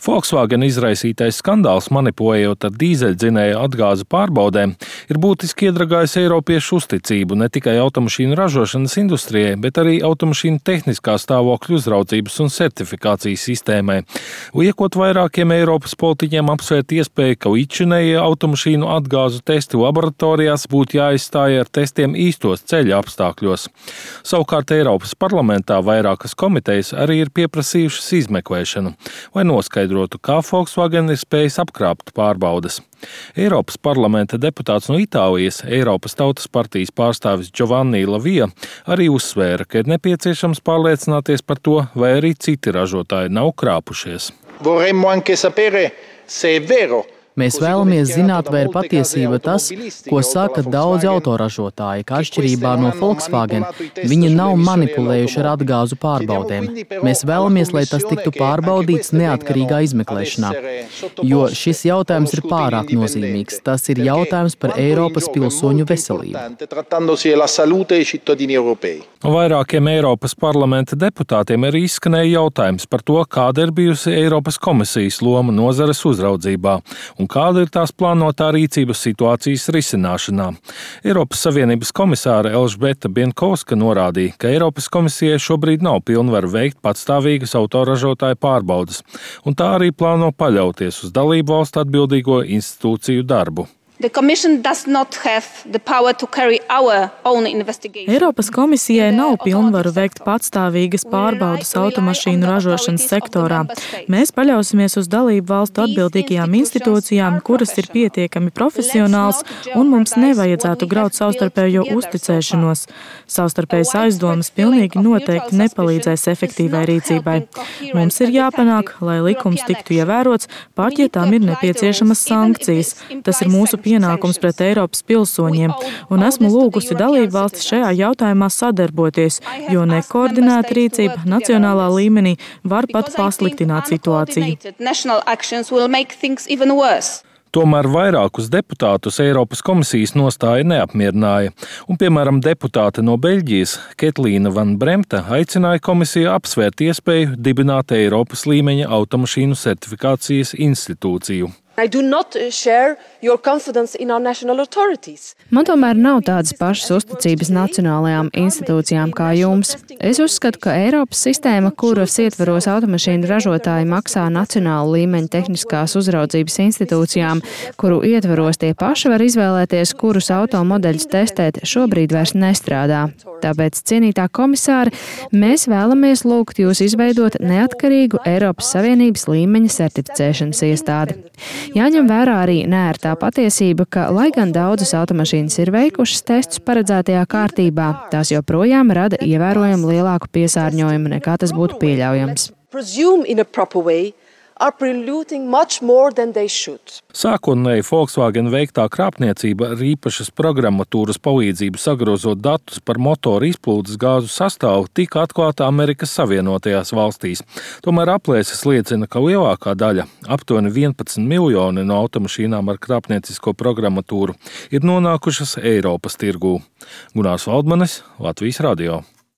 Volkswagen izraisītais skandāls, manipulējot ar dīzeļdzinēju atgāzu pārbaudēm, ir būtiski iedragājis eiropiešu uzticību ne tikai automašīnu ražošanas industrijai, bet arī automašīnu tehniskā stāvokļa uzraudzības un certifikācijas sistēmai. Liekot vairākiem Eiropas politiķiem apsvērt iespēju, ka līdzšinējie automašīnu atgāzu testi laboratorijās būtu jāizstāja ar testiem īstos ceļa apstākļos. Savukārt Eiropas parlamentā vairākas komitejas arī ir pieprasījušas izmeklēšanu, lai noskaidrotu, kā Volkswagen ir spējis apkrāpt pārbaudes. Eiropas parlamenta deputāts no Itālijas, Eiropas Tautas partijas pārstāvis Giovanni La Via, arī uzsvēra, ka ir nepieciešams pārliecināties par to, vai arī citi ražotāji nav krāpušies. Mēs vēlamies zināt, vai ir patiesība tas, ko saka daudzi autoražotāji, ka atšķirībā no Volkswagen viņi nav manipulējuši ar atgāzu pārbaudēm. Mēs vēlamies, lai tas tiktu pārbaudīts neatkarīgā izmeklēšanā, jo šis jautājums ir pārāk nozīmīgs. Tas ir jautājums par Eiropas pilsoņu veselību. Vairākiem Eiropas parlamenta deputātiem ir izskanēja jautājums par to, kāda ir bijusi Eiropas komisijas loma nozares uzraudzībā un kāda ir tās plānotā rīcības situācijas risināšanā. Eiropas Savienības komisāre Elžbieta Bienkovska norādīja, ka Eiropas komisijai šobrīd nav pilnvaru veikt patstāvīgas autoražotāju pārbaudes, un tā arī plāno paļauties uz dalību valstu atbildīgo institūciju darbu. Eiropas komisijai nav pilnvaru veikt patstāvīgas pārbaudes automašīnu ražošanas sektorā. Mēs paļausimies uz dalību valstu atbildīgajām institūcijām, kuras ir pietiekami profesionāls, un mums nevajadzētu graut savstarpējo uzticēšanos. Savstarpējas aizdomas pilnīgi noteikti nepalīdzēs efektīvai rīcībai. Mums ir jāpanāk, lai likums tiktu ievērots, pat ja tam ir nepieciešamas sankcijas. Tas ir mūsu pienākums pret Eiropas pilsoņiem, un esmu lūgusi dalību valstis šajā jautājumā sadarboties, jo nekoordinēta rīcība nacionālā līmenī var pat pasliktināt situāciju. Tomēr vairākus deputātus Eiropas komisijas nostāja neapmierināja, un, piemēram, deputāte no Beļģijas Ketlīna Van Bremta aicināja komisiju apsvērt iespēju dibināt Eiropas līmeņa automašīnu certifikācijas institūciju. Man tomēr nav tādas pašas uzticības nacionālajām institūcijām kā jums. Es uzskatu, ka Eiropas sistēma, kuras ietveros automašīnu ražotāji maksā nacionālu līmeņu tehniskās uzraudzības institūcijām, kuru ietveros tie paši var izvēlēties, kurus automodeļus testēt, šobrīd vairs nestrādā. Tāpēc, cienītā komisāre, mēs vēlamies lūgt jūs izveidot neatkarīgu Eiropas Savienības līmeņa certificēšanas iestādi. Jāņem vērā arī neērtā patiesība, ka, lai gan daudzas automašīnas ir veikušas testus paredzētajā kārtībā, tās joprojām rada ievērojami lielāku piesārņojumu, nekā tas būtu pieļaujams. Sākotnēji Volkswagen veiktā krāpniecība ar īpašas programmatūras palīdzību sagrozot datus par motoru izplūdes gāzu sastāvu tika atklāta Amerikas Savienotajās valstīs. Tomēr aplēses liecina, ka lielākā daļa, aptuveni 11 miljoni no automašīnām ar krāpniecisko programmatūru, ir nonākušas Eiropas tirgū. Gunārs Valdmanis, Latvijas radio.